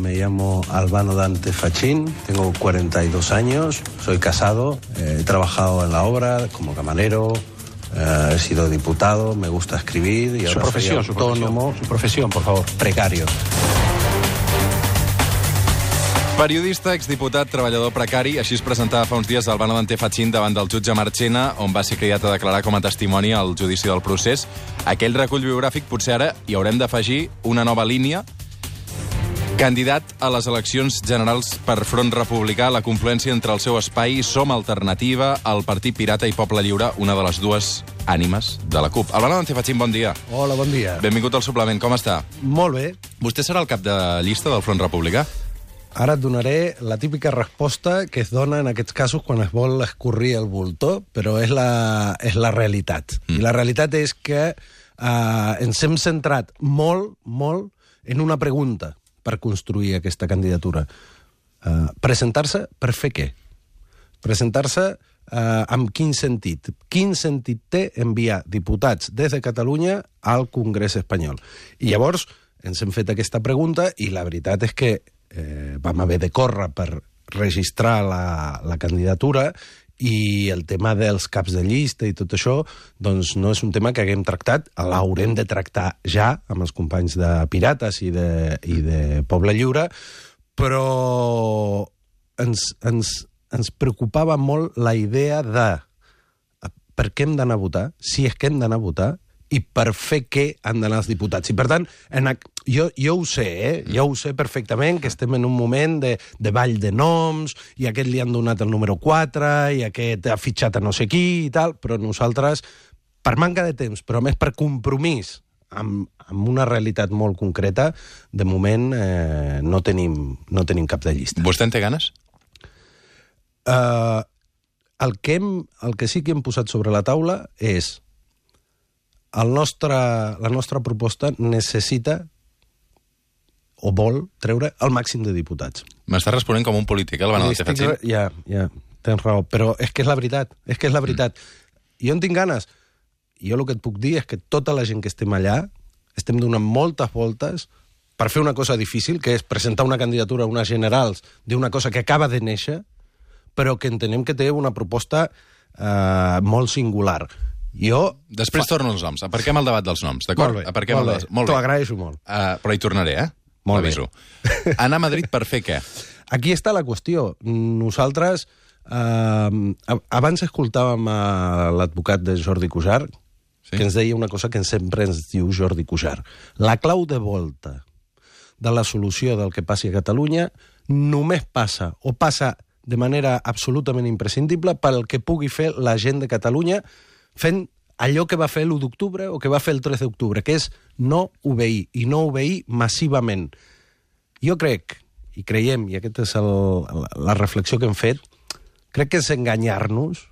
me llamo Albano Dante Fachin, tengo 42 años, soy casado, he trabajado en la obra como camarero, he sido diputado, me gusta escribir y ahora soy autónomo. Su profesión, por favor. Precario. Periodista, exdiputat, treballador precari, així es presentava fa uns dies Albano Dante Fachin davant del jutge Marchena, on va ser cridat a declarar com a testimoni al judici del procés. Aquell recull biogràfic potser ara hi haurem d'afegir una nova línia. Candidat a les eleccions generals per Front Republicà, la confluència entre el seu espai Som Alternativa, el Partit Pirata i Poble Lliure, una de les dues ànimes de la CUP. Albano Dante Fachin, bon dia. Hola, bon dia. Benvingut al suplement, com està? Molt bé. Vostè serà el cap de llista del Front Republicà? Ara et donaré la típica resposta que es dona en aquests casos quan es vol escorrir el voltor, però és la realitat. I la realitat és que ens hem centrat molt en una pregunta per construir aquesta candidatura. Presentar-se per fer què? Presentar-se amb quin sentit? Quin sentit té enviar diputats des de Catalunya al Congrés espanyol? I llavors ens hem fet aquesta pregunta i la veritat és que vam haver de córrer per registrar la candidatura i el tema dels caps de llista i tot això doncs no és un tema que haguem tractat, l'haurem de tractar ja amb els companys de Pirates i de Poble Lliure, però ens preocupava molt la idea de per què hem d'anar a votar, si és que hem d'anar a votar, i per fer què han d'anar els diputats. I, per tant, jo ho sé, jo ho sé perfectament, que estem en un moment de ball de noms, i aquest li han donat el número 4, i aquest ha fitxat a no sé qui, i tal, però nosaltres, per manca de temps, però més per compromís amb una realitat molt concreta, de moment no tenim cap de llista. Vostè en té ganes? El que sí que hem posat sobre la taula és la nostra proposta necessita o vol treure el màxim de diputats. M'està responent com un polític, Albano Dante Fachin? Ja, tens raó, però és que és la veritat, Jo en tinc ganes. Jo el que et puc dir és que tota la gent que estem allà estem donant moltes voltes per fer una cosa difícil, que és presentar una candidatura a unes generals d'una cosa que acaba de néixer, però que entenem que té una proposta molt singular. Després torno als noms. Aparquem el debat dels noms, d'acord? Molt bé. T'ho agraeixo molt. Però hi tornaré, Molt bé. Aviso. Anar a Madrid per fer què? Aquí està la qüestió. Nosaltres, abans escoltàvem l'advocat de Jordi Cuixart, que ens deia una cosa que sempre ens diu Jordi Cuixart. La clau de volta de la solució del que passi a Catalunya només passa de manera absolutament imprescindible pel que pugui fer la gent de Catalunya fent allò que va fer l'1 d'octubre o que va fer el 3 d'octubre, que és no obeir, i no obeir massivament. Jo crec, i creiem, i aquesta és la reflexió que hem fet, crec que és enganyar-nos,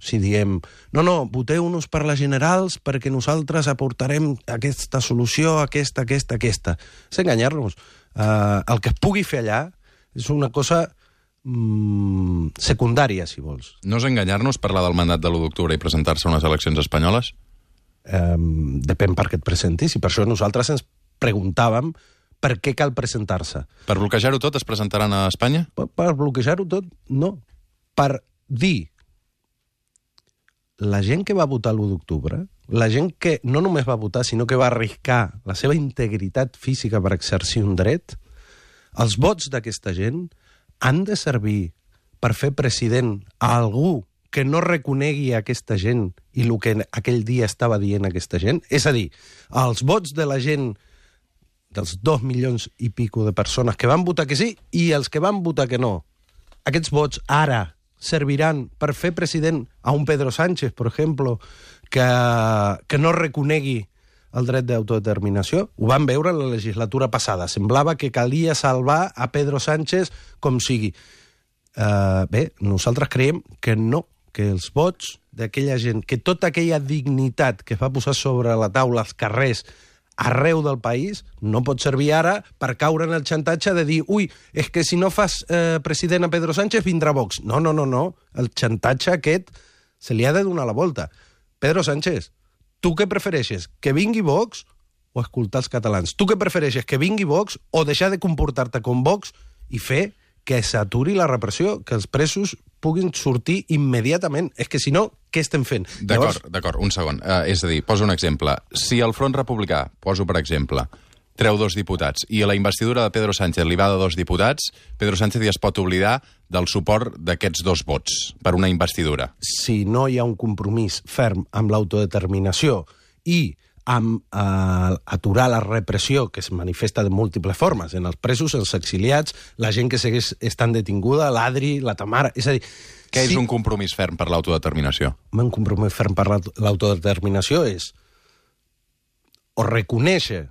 si diem, no, voteu-nos per les generals perquè nosaltres aportarem aquesta solució, aquesta. És enganyar-nos. El que es pugui fer allà és una cosa secundària, si vols. No és enganyar-nos parlar del mandat de l'1 d'octubre i presentar-se a unes eleccions espanyoles? Depèn per què et presentis, i per això nosaltres ens preguntàvem per què cal presentar-se. Per bloquejar-ho tot es presentaran a Espanya? Per bloquejar-ho tot, no. Per dir la gent que va votar l'1 d'octubre, la gent que no només va votar, sinó que va arriscar la seva integritat física per exercir un dret, els vots d'aquesta gent han de servir per fer president a algú que no reconegui aquesta gent i el que aquell dia estava dient aquesta gent? És a dir, els vots de la gent, dels 2 milions i pico de persones que van votar que sí i els que van votar que no, aquests vots ara serviran per fer president a un Pedro Sánchez, per exemple, que no reconegui el dret d'autodeterminació? Ho vam veure en la legislatura passada. Semblava que calia salvar a Pedro Sánchez com sigui. Bé, nosaltres creiem que no, que els vots d'aquella gent, que tota aquella dignitat que es va posar sobre la taula als carrers arreu del país, no pot servir ara per caure en el xantatge de dir és que si no fas president a Pedro Sánchez vindrà Vox. No. El xantatge aquest se li ha de donar la volta. Pedro Sánchez, tu què prefereixes? Que vingui Vox o escoltar els catalans? Tu què prefereixes, que vingui Vox o deixar de comportar-te com Vox i fer que s'aturi la repressió, que els presos puguin sortir immediatament? És que si no, què estem fent? D'acord, un segon. És a dir, poso un exemple. Si el Front Republicà, poso per exemple, treu 2 diputats i a la investidura de Pedro Sánchez li va de 2 diputats, Pedro Sánchez ja es pot oblidar del suport d'aquests 2 vots per una investidura. Si no hi ha un compromís ferm amb l'autodeterminació i amb aturar la repressió que es manifesta de múltiples formes, en els presos, els exiliats, la gent que segueix estant detinguda, l'Adri, la Tamara... És a dir... Què és un compromís ferm per l'autodeterminació? Un compromís ferm per l'autodeterminació és o reconèixer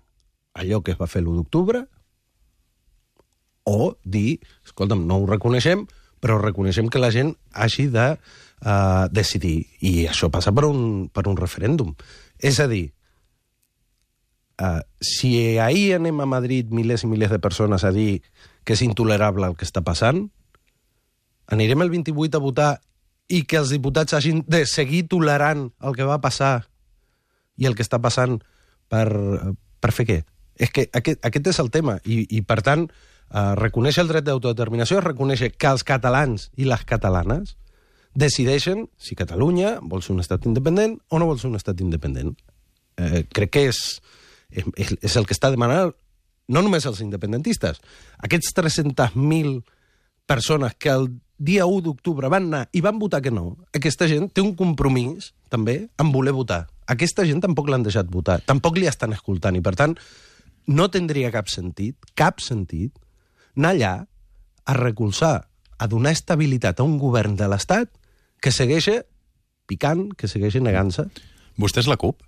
allò que es va fer l'1 d'octubre o dir, escolta'm, no ho reconeixem, però reconeixem que la gent hagi de decidir. I això passa per un referèndum. És a dir, si ahir anem a Madrid milers i milers de persones a dir que és intolerable el que està passant, anirem el 28 a votar i que els diputats hagin de seguir tolerant el que va passar i el que està passant per fer què? És que aquest és el tema. I per tant, reconèixer el dret d'autodeterminació és reconèixer que els catalans i les catalanes decideixen si Catalunya vol ser un estat independent o no vol ser un estat independent. Crec que és el que està demanant no només els independentistes. Aquests 300.000 persones que el dia 1 d'octubre van anar i van votar que no, aquesta gent té un compromís, també, en voler votar. Aquesta gent tampoc l'han deixat votar, tampoc li estan escoltant, i per tant no tindria cap sentit, anar allà a recolzar, a donar estabilitat a un govern de l'Estat que segueix picant, que segueix negant-se. Vostè és la CUP?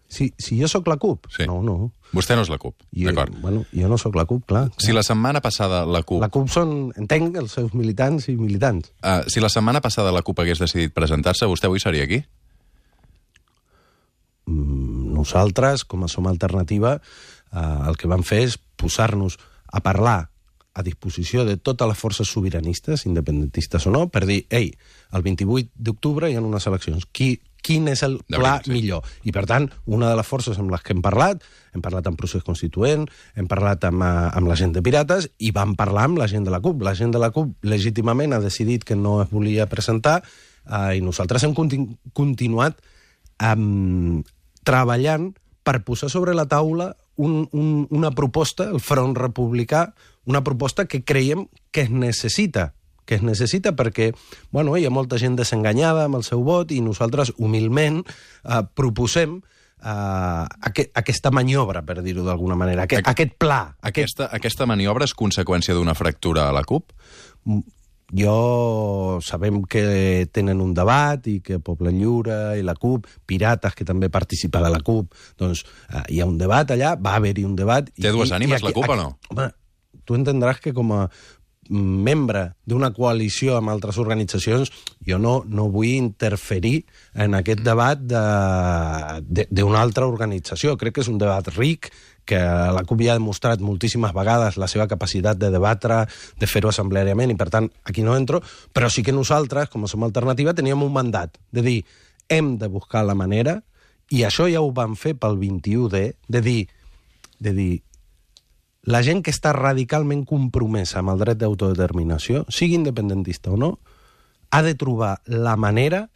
Si jo sóc la CUP? Sí. No. Vostè no és la CUP, d'acord. Bueno, jo no sóc la CUP, clar. Si la setmana passada la CUP... La CUP són, entenc, els seus militants i militants. Si la setmana passada la CUP hagués decidit presentar-se, vostè avui seria aquí? Nosaltres, com a Som Alternativa, el que vam fer és posar-nos a parlar a disposició de totes les forces sobiranistes, independentistes o no, per dir, ei, el 28 d'octubre hi ha unes eleccions. Quin és el pla millor? I, per tant, una de les forces amb les que hem parlat amb Procés Constituent, hem parlat amb la gent de Pirates i vam parlar amb la gent de la CUP. La gent de la CUP legítimament ha decidit que no es volia presentar i nosaltres hem continuat treballant per posar sobre la taula una proposta, el Front Republicà, una proposta que creiem que es necessita perquè hi ha molta gent desenganyada amb el seu vot i nosaltres humilment proposem aquesta maniobra, per dir-ho d'alguna manera, aquest pla. Aquesta maniobra és conseqüència d'una fractura a la CUP? Sabem que tenen un debat i que Poble Lliure i la CUP, Pirates, que també participa de la CUP, doncs hi ha un debat allà, va haver-hi un debat... Té dues ànimes la CUP o no? Home, tu entendràs que com a membre d'una coalició amb altres organitzacions, jo no vull interferir en aquest debat d'una altra organització. Crec que és un debat ric, que la CUP ja ha demostrat moltíssimes vegades la seva capacitat de debatre, de fer-ho assembleàriament, i per tant aquí no entro, però sí que nosaltres, com a Som Alternativa, teníem un mandat de dir, hem de buscar la manera, i això ja ho vam fer pel 21D, de dir la gent que està radicalment compromesa amb el dret d'autodeterminació, sigui independentista o no, ha de trobar la manera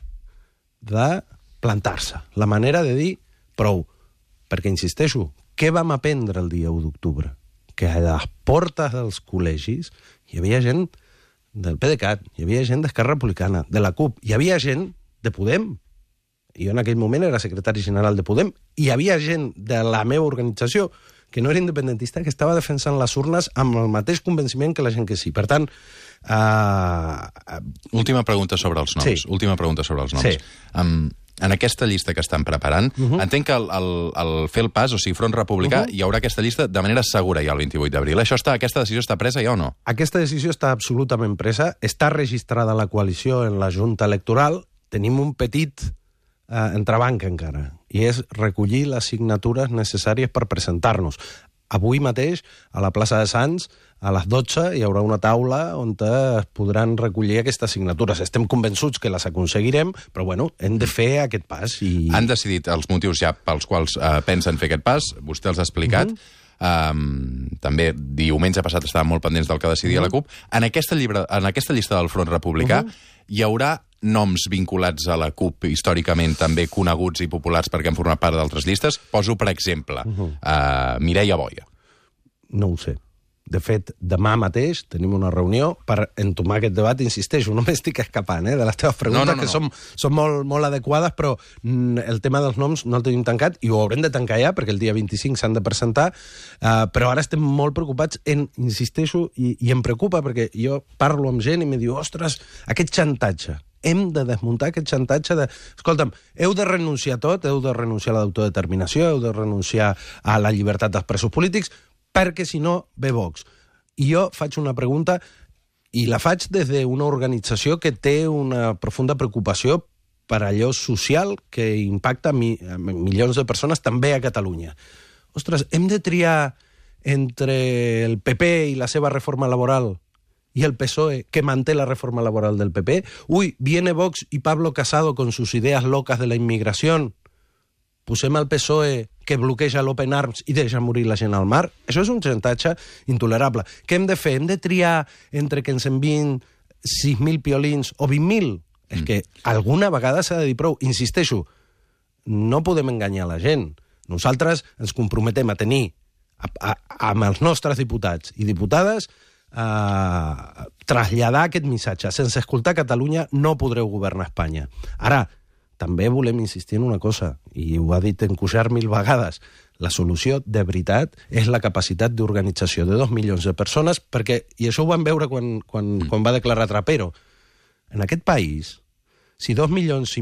de plantar-se, la manera de dir prou. Perquè, insisteixo, què vam aprendre el dia 1 d'octubre? Que a les portes dels col·legis hi havia gent del PDeCAT, hi havia gent d'Esquerra Republicana, de la CUP, hi havia gent de Podem. Jo en aquell moment era secretari general de Podem, hi havia gent de la meva organització que no era independentista, que estava defensant les urnes amb el mateix convenciment que la gent que sí. Per tant... Última pregunta sobre els noms. Sí. Última pregunta sobre els noms. Sí. En aquesta llista que estan preparant, entenc que al fer el pas, o sigui, Front Republicà, hi haurà aquesta llista de manera segura ja el 28 d'abril. Aquesta decisió està presa ja o no? Aquesta decisió està absolutament presa. Està registrada la coalició en la Junta Electoral. Tenim un petit entrebanc encara, i és recollir les signatures necessàries per presentar-nos. avui mateix, a la plaça de Sants, a les 12, hi haurà una taula on es podran recollir aquestes signatures. Estem convençuts que les aconseguirem, però bueno, hem de fer aquest pas. Han decidit els motius ja pels quals pensen fer aquest pas, vostè els ha explicat. També diumenge passat estàvem molt pendents del que decidia la CUP. En aquesta llista del Front Republicà hi haurà noms vinculats a la CUP històricament també coneguts i populars perquè han format part d'altres llistes. Poso, per exemple, Mireia Boia. No ho sé. De fet, demà mateix tenim una reunió per entomar aquest debat. Insisteixo, no m'estic escapant de les teves preguntes, que són molt adequades, però el tema dels noms no el tenim tancat i ho haurem de tancar ja, perquè el dia 25 s'han de presentar, però ara estem molt preocupats insisteixo, i em preocupa, perquè jo parlo amb gent i me diu, ostres, aquest xantatge, hem de desmuntar aquest xantatge de... Escolta'm, heu de renunciar a tot, heu de renunciar a l'autodeterminació, heu de renunciar a la llibertat dels presos polítics, perquè si no ve Vox. I jo faig una pregunta, i la faig des d'una organització que té una profunda preocupació per allò social que impacta milions de persones també a Catalunya. Ostres, hem de triar entre el PP i la seva reforma laboral y el PSOE, que manté la reforma laboral del PP. Uy, viene Vox y Pablo Casado con sus ideas locas de la inmigración. Posem al PSOE que bloqueja l'Open Arms i deixa morir la gent al mar. Això és un xantatge intolerable. Què hem de fer? Hem de triar entre que ens envien 6.000 piolins o 20.000? És que alguna vegada s'ha de dir prou. Insisteixo, no podem enganyar la gent. Nosaltres ens comprometem a tenir amb els nostres diputats i diputades traslladar aquest missatge. Sense escoltar Catalunya no podreu governar Espanya. Ara, també volem insistir en una cosa, i ho ha dit en Cuixart 1000 vegades, la solució, de veritat, és la capacitat d'organització de 2 milions de persones, perquè, i això ho vam veure quan va declarar Trapero, en aquest país, si 2,5 milions,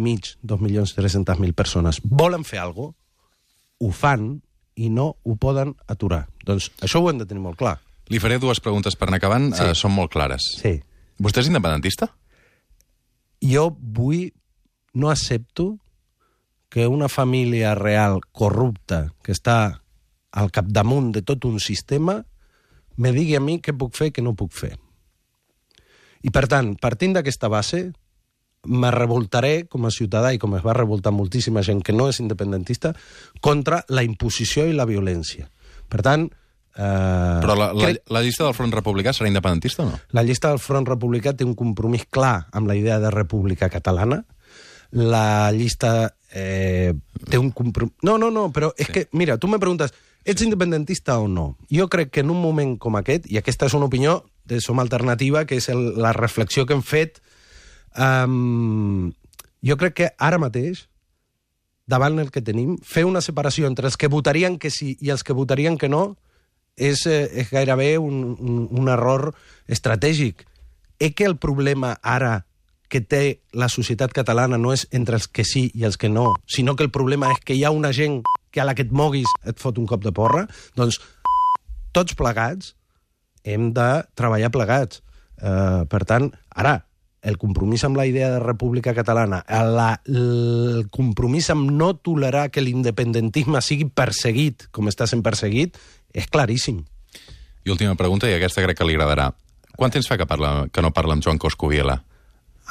2.300.000 persones volen fer alguna cosa, ho fan i no ho poden aturar. Doncs això ho hem de tenir molt clar. Li faré 2 preguntes per anar acabant, són molt clares. Sí. Vostè és independentista? Jo no accepto que una família real corrupta que està al capdamunt de tot un sistema me digui a mi què puc fer i què no puc fer. I, per tant, partint d'aquesta base, me revoltaré com a ciutadà i com es va revoltar moltíssima gent que no és independentista contra la imposició i la violència. Per tant... Però la llista del Front Republicà serà independentista o no? La llista del Front Republicà té un compromís clar amb la idea de república catalana. La llista té un compromís... No, però és que, mira, tu me preguntes, ets independentista o no? Jo crec que en un moment com aquest, i aquesta és una opinió de Som Alternativa, que és la reflexió que hem fet, jo crec que ara mateix, davant el que tenim, fer una separació entre els que votarien que sí i els que votarien que no és gairebé un error estratègic. Que el problema ara que té la societat catalana no és entre els que sí i els que no, sinó que el problema és que hi ha una gent que a la que et moguis et fot un cop de porra, doncs tots plegats hem de treballar plegats. Per tant, ara, el compromís amb la idea de república catalana, el compromís amb no tolerar que l'independentisme sigui perseguit com està sent perseguit, és claríssim. I última pregunta, i aquesta crec que li agradarà. Quant temps fa que no parla amb Joan Coscubiela?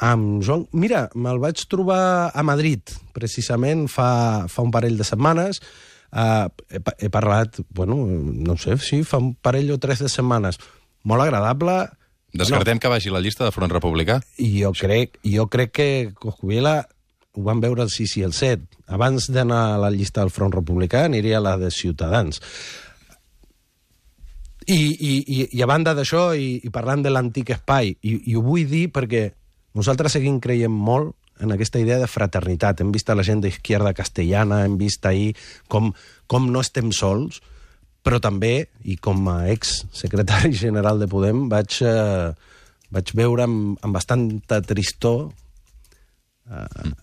Amb Joan... Mira, me'l vaig trobar a Madrid, precisament fa un parell de setmanes. He parlat, no sé, sí, fa un parell o 3 de setmanes. Molt agradable. Descartem que vagi la llista de Front Republicà? I jo crec que Coscubiela ho van veure el 6 i el 7. Abans d'anar a la llista del Front Republicà aniria a la de Ciutadans. I a banda d'això, i parlant de l'antic espai, i ho vull dir perquè nosaltres seguim creient molt en aquesta idea de fraternitat. Hem vist a la gent d'Izquierda Castellana, hem vist ahir com no estem sols, però també, i com a ex-secretari general de Podem, vaig veure amb bastanta tristor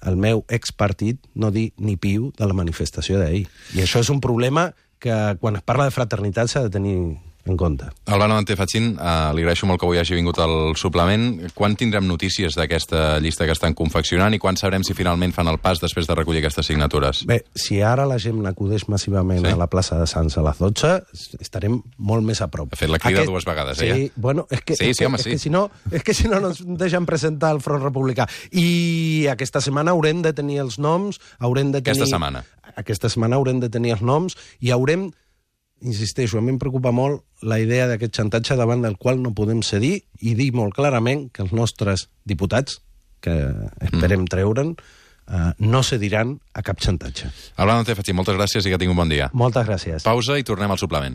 el meu expartit no dir ni piu de la manifestació d'ahir. I això és un problema que quan es parla de fraternitat s'ha de tenir en compte. Albano Dante Fachin, li agraeixo molt que avui hagi vingut al suplement. Quan tindrem notícies d'aquesta llista que estan confeccionant i quan sabrem si finalment fan el pas després de recollir aquestes signatures? Bé, si ara la gent acudeix massivament a la plaça de Sants a les 12, estarem molt més a prop. Ha fet la crida dues vegades, sí, bueno, és que si no ens deixen presentar el Front Republicà. I aquesta setmana haurem de tenir els noms, Aquesta setmana haurem de tenir els noms i haurem, insisteixo, a mi em preocupa molt la idea d'aquest xantatge davant del qual no podem cedir i dir molt clarament que els nostres diputats, que esperem treure'n, no cediran a cap xantatge. Albano Dante Fachin, moltes gràcies i que tingui un bon dia. Moltes gràcies. Pausa i tornem al suplement.